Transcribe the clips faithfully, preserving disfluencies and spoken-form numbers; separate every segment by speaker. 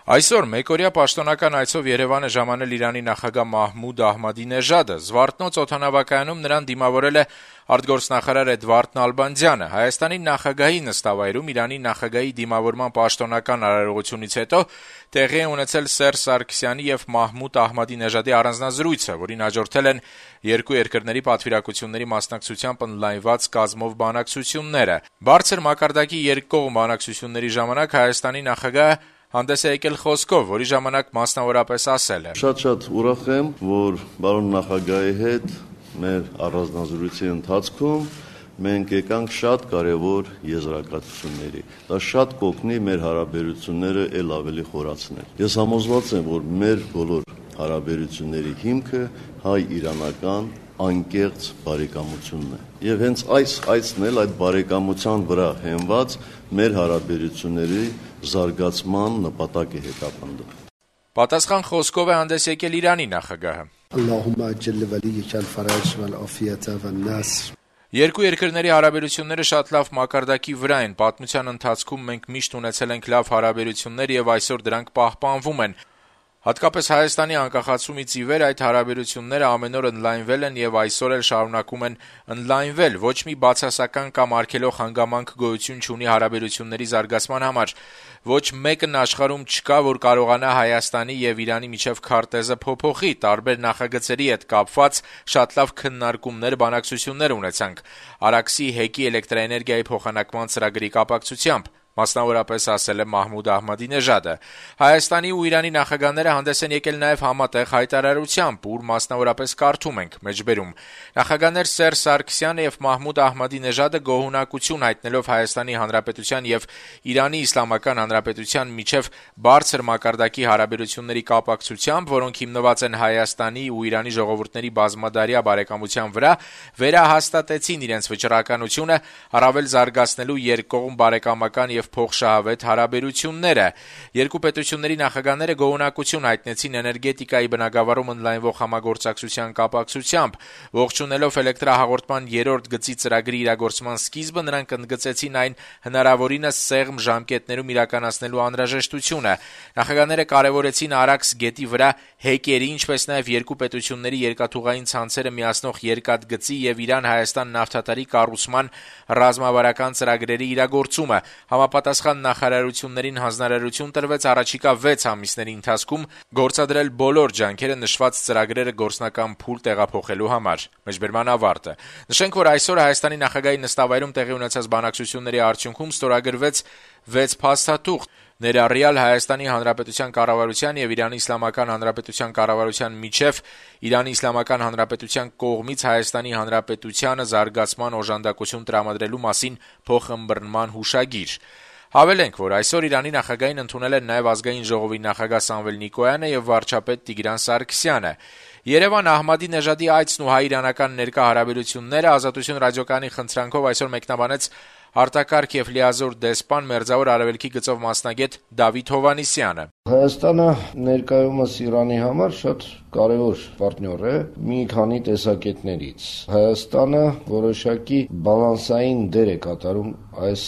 Speaker 1: Այսօր մեկօրյա պաշտոնական այցով Երևան է ժամանել Իրանի նախագահ Մահմուդ Ահմադինեժադը։ Զվարթնոց օդանավակայանում նրան դիմավորել է արտգործնախարար Էդվարդ Նալբանդյանը։ Հայաստանի նախագահի նստավայրում Իրանի նախագահի դիմավորման պաշտոնական արարողությունից հետո տեղի է ունեցել Սերժ Սարգսյանի եւ Մահմուդ Ահմադինեժադի առանձնազրույցը, որին հաջորդել են երկու երկրների պատվիրակությունների մասնակցությամբ ընդլայնված կազմով բանակցությունները։ Բարձր մակարդակի երկկողմ բանակցությունների ժամանակ Հայաստանի նախագահը հանդես է եկել խոսքով, որի ժամանակ մասնավորապես ասել է.
Speaker 2: Շատ-շատ ուրախ եմ, որ բարոն նախագահի հետ մեր առանձնազրույցի ընթացքում մենք եկանք շատ կարևոր եզրակացությունների։ Դա շատ կօգնի մեր հարաբերությունները ել ավելի խորացնել։ Ես համոզված եմ, որ մեր բոլոր հարաբերությունների հիմքը հայ-իրանական անկեղծ բարեկամությունն է։ Եվ հենց այս այցն էլ այդ բարեկամության վրա հենված մեր հարաբերությունների զարգացման նպատակ է հետապնդում։
Speaker 1: Պատասխան խոսքով է հանդես եկել Իրանի նախագահը։ Երկու երկրների հարաբերությունները շատ լավ մակարդակի վրա են։ Պատմության ընթացքում մենք միշտ ունեցել ենք լավ հարաբերություններ եւ այսօր դրանք պահպանվում են։ Հատկապես Հայաստանի անկախացումից ի վեր այդ հարաբերությունները ամեն օր ընդլայնվել են եւ այսօր էլ շարունակում են ընդլայնվել։ Ոչ մի բացասական կամ արգելող հանգամանք գոյություն չունի հարաբերությունների զարգացման համար։ Ոչ մեկն աշխարհում չկա, որ կարողանա Հայաստանի եւ Իրանի միջև քարտեզը փոփոխի։ Տարբեր նախագծերի հետ կապված շատ լավ քննարկումներ, բանակցություններ ունեցանք Արաքսի հեկի էլեկտրաէներգիայի փոխանակման ծրագրի կապակցությամբ։ Մասնավորապես ասել է Մահմուդ Ահմադինեժադը։ Հայաստանի ու Իրանի նախագահները հանդես են եկել նաև համատեղ հայտարարությամբ, ուր մասնավորապես կարդում ենք մեջբերում. Նախագահներ Սերժ Սարգսյանը եւ Մահմուդ Ահմադինեժադը գոհունակություն հայտնելով Հայաստանի Հանրապետության եւ Իրանի Իսլամական Հանրապետության միջև բարձր մակարդակի հարաբերությունների կապակցությամբ, որոնք հիմնված են Հայաստանի ու Իրանի ժողովուրդների բազմադարյա բարեկամության վրա, վերահաստատեցին իրենց վճռականությունը առավել զարգացնելու երկկողմ բարեկամական եւ փոխշահավետ հարաբերությունները։ Երկու պետությունների նախագահները գոհունակություն հայտնեցին էներգետիկայի բնագավառում ընդլայնվող համագործակցության կապակցությամբ։ Ողջունելով էլեկտրահաղորդման երրորդ գծի ծրագրի իրագործման սկիզբը, նրանք ընդգծեցին այն հնարավորինս սեղմ ժամկետներում իրականացնելու անհրաժեշտությունը։ Նախագահները կարևորեցին Արաքս գետի վրա հեկերի, ինչպես նաև երկու պետությունների երկաթուղային ցանցերը միացնող երկաթգծի եւ Իրան-Հայաստան նավթատարի կառուցման ռազմավարական ծրագրերի իրագործումը։ Համապատասխան նախարարություններին հանձնարարություն տրվեց առաջիկա վեց ամիսների ընթացքում գործադրել բոլոր ջանքերը նշված ծրագրերը գործնական փուլ տեղափոխելու համար։ Մեջբերման ավարտը։ Նշենք, որ այսօր Հայաստանի նախագահի նստավայրում տեղի ունեցած բանակցությունների արդյունքում ստորագրվեց վեց փաստաթուղթ, ներառյալ Հայաստանի Հանրապետության կառավարության եւ Իրանի Իսլամական Հանրապետության կառավարության միջև Իրանի Իսլամական Հանրապետության կողմից Հայաստանի Հանրապետությանը զարգացման օժանդակություն տրամադրելու մասին փոխըմբռնման հուշագիր։ Հավելենք, որ այսօր Իրանի նախագահին ընդունել են նաև ազգային ժողովի նախագահ Սամվել Նիկոյանը եւ վարչապետ Տիգրան Սարգսյանը։ Երևան Ահմադինեժադի այցն ու հայ-իրանական ներկա հարաբերությունները Ազատություն ռադիոկայանի խնդրանքով այսօր մեկնաբանեց արտակարգ եւ լիազոր դեսպան Մերձավոր Արևելքի գծով մասնագետ Դավիթ Հովհաննիսյանը։
Speaker 3: Հայաստանը ներկայումս Իրանի համար շատ կարևոր պարտներ է մի քանի տեսակետներից։ Հայաստանը որոշակի բալանսային դեր է կատարում այս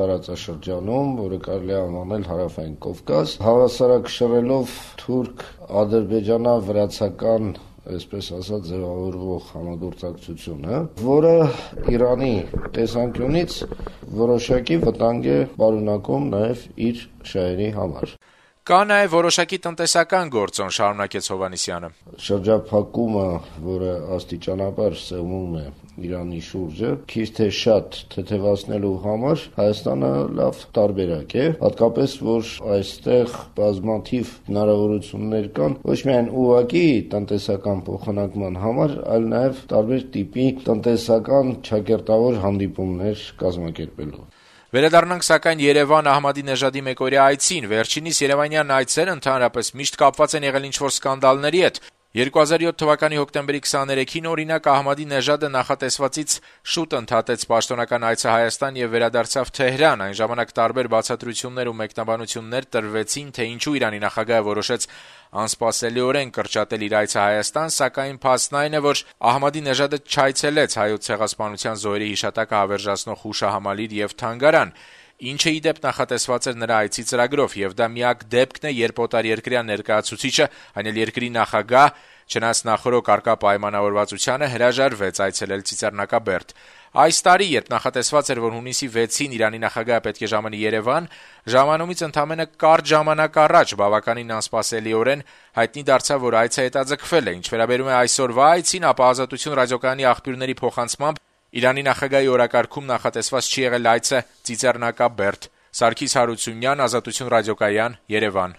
Speaker 3: տարածաշրջանում, որը կարելի է անվանել Հարավային Կովկաս, հավասարակշռելով թուրք-ադրբեջանա-վրացական այսպես ասած ձևավորվող համագործակցությունը, որը Իրանի տեսանկյունից որոշակի վտանգ է պարունակում նաև իր շահերի համար։
Speaker 1: Կա նաև որոշակի տնտեսական գործոն, շարունակեց Հովհաննիսյանը։
Speaker 3: Շրջափակումը, որը աստիճանաբար սեղմում է Իրանի շուրջը, քիչ թե շատ թեթևացնելու համար Հայաստանը լավ տարբերակ է, հատկապես որ այստեղ բազմաթիվ հնարավորություններ կան ոչ միայն ուղղակի տնտեսական փոխանակման համար, այլ նաև տարբեր տիպի տնտեսական ճակերտավոր հանդիպումներ կազմակերպելու։
Speaker 1: Վերադառնանք սակայն Երևան Ահմադինեժադի մեկօրյա այցին։ Վերջինիս երևանյան այցերը ընդհանրապես միշտ կապված են եղել ինչ-որ սկանդալների հետ։ երկու հազար յոթ թվականի հոկտեմբերի քսաներեքին օրինակ Ահմադինեժադը նախատեսվածից շուտ ընդհատեց պաշտոնական այցը Հայաստան եւ վերադարձավ Թեհրան։ Այն ժամանակ տարբեր բացատրություններ ու մեկնաբանություններ տրվեցին, թե ինչու Իրանի նախագահը որոշեց անսպասելիորեն կրճատել իր այցը Հայաստան, սակայն փաստն այն է, որ Ահմադինեժադը չայցելեց Հայոց ցեղասպանության զոհերի հիշատակը հավերժացնող հուշահամալիր եւ թանգարան։ ինչը ի դեպ նախատեսված էր նրա այցի ծրագրով, եւ դա միակ դեպքն է, երբ օտարերկրյա ներկայացուցիչը, այն էլ երկրի նախագահ, չնայած նախորոք առկա պայմանավորվածությանը, հրաժարվեց այցելել Ծիծեռնակաբերդ։ Այս տարի, երբ նախատեսված էր, որ հունիսի վեցին Իրանի նախագահը պետք է ժամանի Երևան, ժամանումից ընդամենը կարճ ժամանակ առաջ բավականին անսպասելիորեն հայտնի դարձավ, որ այցը հետաձգվել է։ Ինչ վերաբերում է այսօրվա այցին, ապա Ազատություն ռադիոկայանի աղբյուրների փոխանցմամբ Իրանի նախագահի օրակարգում նախատեսված չի եղել այցը Ծիծեռնակաբերդ։ Սարգիս Հարությունյան, Ազատություն ռադիոկայան, Երևան։